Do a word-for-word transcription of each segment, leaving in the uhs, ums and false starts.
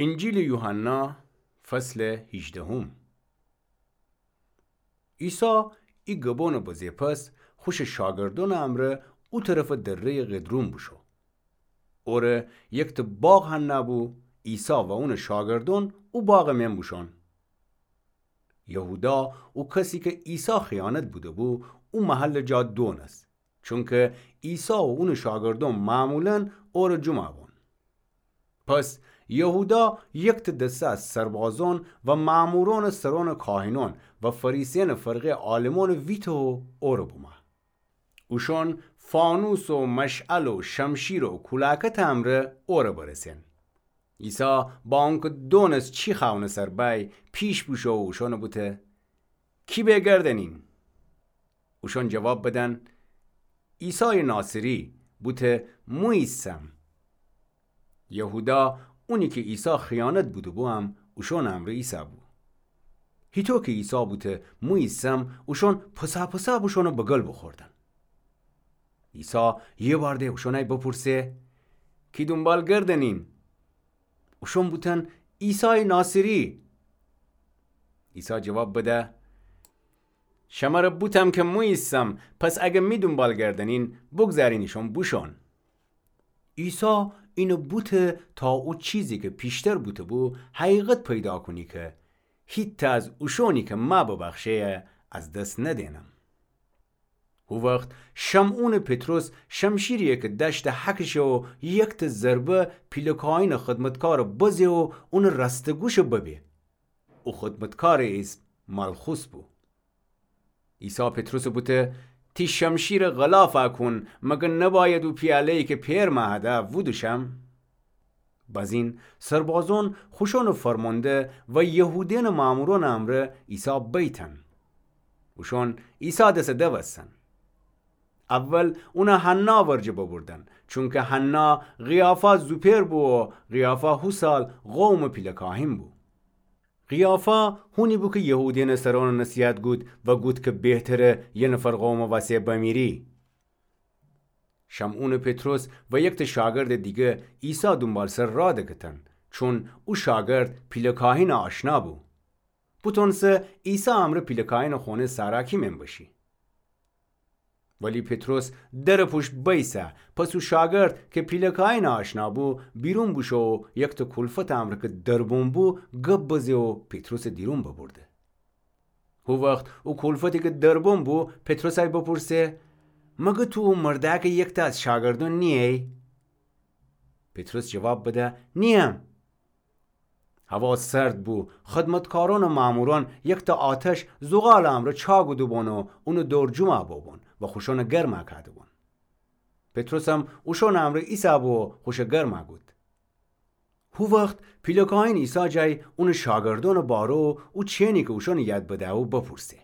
انجیلٚ یوحنا، فصلٚ هیجدهم. عیسی ای گبونٚ بزه پس، خوشٚ شاگردونٚ امرأ او طرفٚ دره‌یٚ قدرون بوشو. اوره یکتأ باغ هنأ بو، عیسی و اونٚ شاگردون او باغٚ مئن بوشون. یهودا، او کسی کی عیسی خیانت بوده‌بو، او محلٚ جا دونس، چونکی عیسی و اونٚ شاگردون معمولا اوره جمعه بون. پس یهودا یکتأ دسته از سربازون و مأمورونٚ سرونٚ کاهنون و فریسیأنٚ فرقه‌یٚ عالمونٚ ویته و اوره بومأ. اوشون فانوس و مشعل و شمشیر و کولاکتٚ امرأ اوره برسن. عیسی با اونکی دونس چی خأونٚ سر بأی، پیش بوشو و اوشونٚ بوته: کی به گردنین؟ اوشون جواب بدن: عیسایٚ ناصری. بوته: مو ایسم. یهودا، اونی کی عیسی خیانت بوده‌بو، هم اوشونٚ امرأ ایسه‌بو. هیطو کی عیسی بوته: مو ایسم، اوشون پس‌پس بوشون و بگل بوخوردن. عیسی یه بار ده اوشونأی بپرسه: کی دونبال گردنین؟ اوشون بوتن: عیسایٚ ناصری. عیسی جواب بده: شمره بوتم کی مو ایسم، پس اگر می دونبال گردنین، بوگذارینیشون بوشون. عیسی اینه بوته تا او چیزی کی پیشتر بوته‌بو، حقیقت پیدا کونی کی هیتأ از اوشونی کی مأ ببخشه‌یه، از دس ندینم. هو وخت شمعونٚ پطرس شمشیریی کی دأشته هکشه و یکتأ ضربه پیله کاهینٚ خدمتکارٚ بزه و اونٚ رأستٚ گوشه ببه. او خدمتکارٚ ایسم مالخوس بو. عیسی پطرسٚ بوته: تی شمشیرٚ غلافه کون، مگر نباید او پیاله‌یی کی پئر مأ هده وودوشم؟ بزین سربازون خوشونٚ فرمانده و یهودینٚ مأمورونٚ امرأ عیسی بیتن. اوشون عیسی دسه دوستن. اول اونه حنا ورجه ببردن، چونکی حنا قیافا زوپئر بو و قیافا هو سال قومٚ پیله کاهین بو. قیافا هونی بو کی یهودینٚ سرونٚ نصیحت گود و گود کی بهتره یه نفر قومٚ وسه بمیری. شمعونٚ پطرس و یکتأ شاگردٚ دیگه عیسی دونبالسر راه دکتن، چون او شاگرد پیله کاهینٚ آشنا بو. بوتونسه عیسی امرأ پیله کاهینٚ خونه ساراکی مئن بشی. ولی پطرس درٚ پوشت بیسه، پس او شاگرد کی پیله کاهینٚ آشنا بو، بیرون بوشو و یکتأ کولفتٚ امرأ کی دربون بو، گب بزه و پطرسٚ دیرون ببرده. هو وخت او کولفتی کی دربون بو، پطرسأی بپرسه: مگر تو او مردأکٚ یکتأ از شاگردون نییی؟ پطرس جواب بده: نییم. هوا سرد بو، خدمتکارونٚ مأمورون یکتأ آتش زغالٚ امرأ چاکوده‌بون و اونٚ دور جمعه بوبون و خوشونٚ گرمه کاده‌بون. پطرسم اوشونٚ امرأ ایسه‌بو و خوشه گرمه کود. هو وخت پیله کاهین عیسی جای اونٚ شاگردونٚ باره و او چی‌نی کی اوشونٚ ید بده‌بو بپرسه.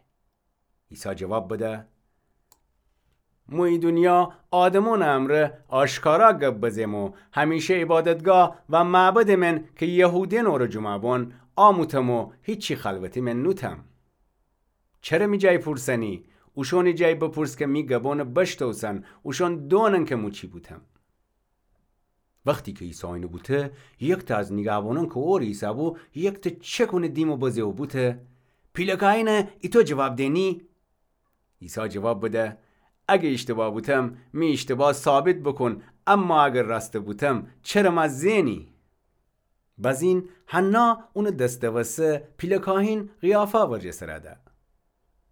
عیسی جواب بده: مو ای دونیا آدمونٚ امرأ آشکارا گب بزم و همیشه عبادتگاه و معبدٚ مئن کی یهودین اوره جمعه بون آموتم و هیچی خلوتٚ مئن نوتم. چره می جای پورسنی؟ اوشونٚ جای بپورس کی می گبونٚ بشتوسن، اوشون دونن کی مو چی بوتم. وختی کی عیسی اینه بوته، یکتأ از نیگهبانون کی اوره ایسه‌بو، یکتأ چک اونٚ دیمٚ بزه و بوته: پیله کاهینه ایتو جواب دینی؟ عیسی جواب بده: اگه ایشتباه بوتم، می ایشتباه ثابت بوکون، اما اگه راسته بوتم، چره مه زئنی؟ بزین حنا اونٚ دس دوسته پیله کاهین قیافا ورجه سر ده.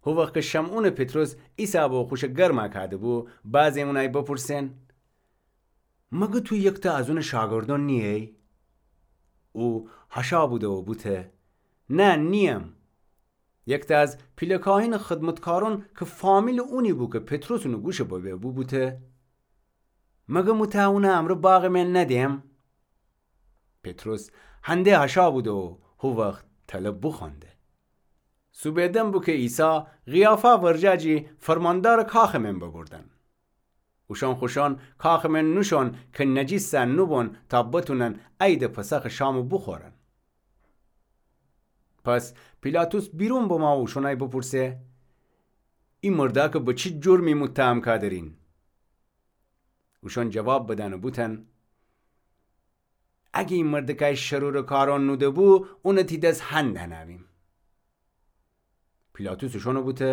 هو وخت کی شمعونٚ پطرس ایسه‌بو و خوشه گرمه کاده‌بو، بعضی اونأی بپرسن: مگه تو یکتأ از اونٚ شاگردون نییی؟ او هشا بوده و بوته: نه، نییم. یکتأ از پیله کاهینٚ خدمتکارون کی فامیلٚ اونی بو کی پطرس اونٚ گوشه ببه بو، بوته: مگه مو تأ اونٚ امرأ باغٚ مئن ندیم؟ پطرس هنده هشا بوده و هو وخت تله بوخوأنده. سوبه دم بو کی عیسی قیافا ورجه جی فرماندارٚ کاخٚ مئن ببردن. اوشان خوشان کاخٚ مئن نوشون کی نجیسه نوبون تا بتونن عیدٚ پسخٚ شامٚ بوخورن. پس پیلاطس بیرون بمه و اوشونأی بپرسه: ای مردأکٚ به چی جرمی متهم کادرین؟ اوشان جواب بدن و بوتن: اگه ای مردکای شرورٚ کارأن نوده‌بو، اونَ تی دس هنَ دهنویم. پیلاطس اوشأنَ بوته: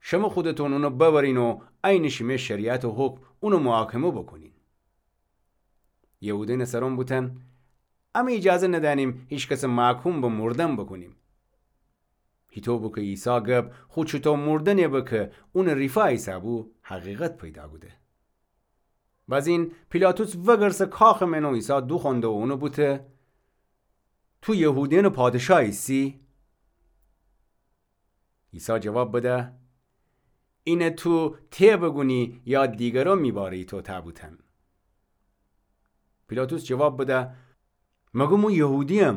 شمه خودتون اونَ ببرین و عینٚ شیمه شریعتٚ حکم اونَ محاکمه بوکونین. یهودینٚ سرأن بوتن: امه ایجازه ندأنیم هیکسَ محکوم به مردن بوکونیم. هیطو بو کی عیسی گب خو چوطو مردنی به کی اونٚ ریفا ایسه‌بو، حقیقت پیدا کوده. بزین پیلاطس وگرسه کاخٚ مئن و عیسی دوخوأنده و اونَ بوته: تو یهودیأنٚ پادشاه ایسی؟ عیسی جواب بده: اینَ تو ته بوگونی یا دیگرأن می باره‌یٚ تو ته بوتن؟ پیلاطس جواب بده: مگر مو یهودییم؟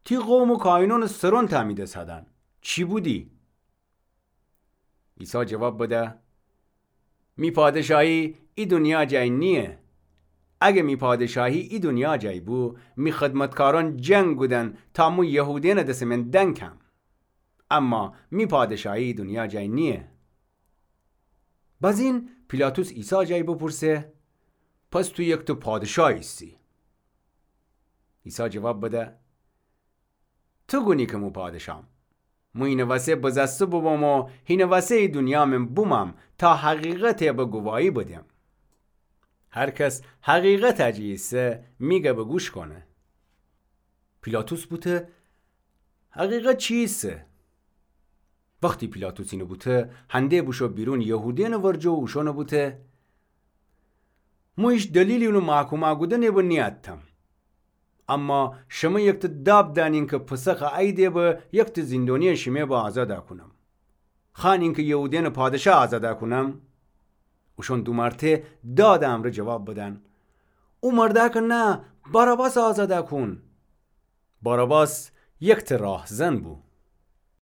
تی قوم و کاهینأنٚ سرأن تا می دس هدن. چی بودی؟ عیسی جواب بده: می پادشاهی ای دونیا جای نییه. اگه می پادشاهی ای دونیا جای بو، می خدمتکارأن جنگ کودن تا مو یهودیأنٚ دسٚ مئن دنکم. اما می پادشاهی ای دونیا جای نییه. بزین پیلاطس عیسی جای بپرسه: پس تو یکتأ پادشاه ایسی؟ عیسی جواب بده: تو گونی کی مو پادشاهم. مو اینٚ وسه بزسته بوبوم و هینٚ وسه ای دونیا مئن بومم تا حقیقت به گواهی بدم. هر کس حقیقت جی ایسه می گبَ گوش کونه. پیلاطس بوته: حقیقت چی ایسه؟ وختی پیلاطس اینَ بوته، هنده بوشو بیرون یهودیأنٚ ورجه و اوشأنَ بوته: مو هیچ دلیلی اونٚ محکومه کودنی به نیأتم. اما شمه یکتأ داب دأنین کی پسخٚ عیدی به یکتأ زندونی شیمه به آزاد کونم. خوأنین کی یهودیأنٚ پادشاه آزاد کونم؟ اوشأن دو مرته دادٚ امرأ جواب بدن: او مردأ کی نه، باراباسَ آزاد کون. باراباس یکتأ راهزن بو.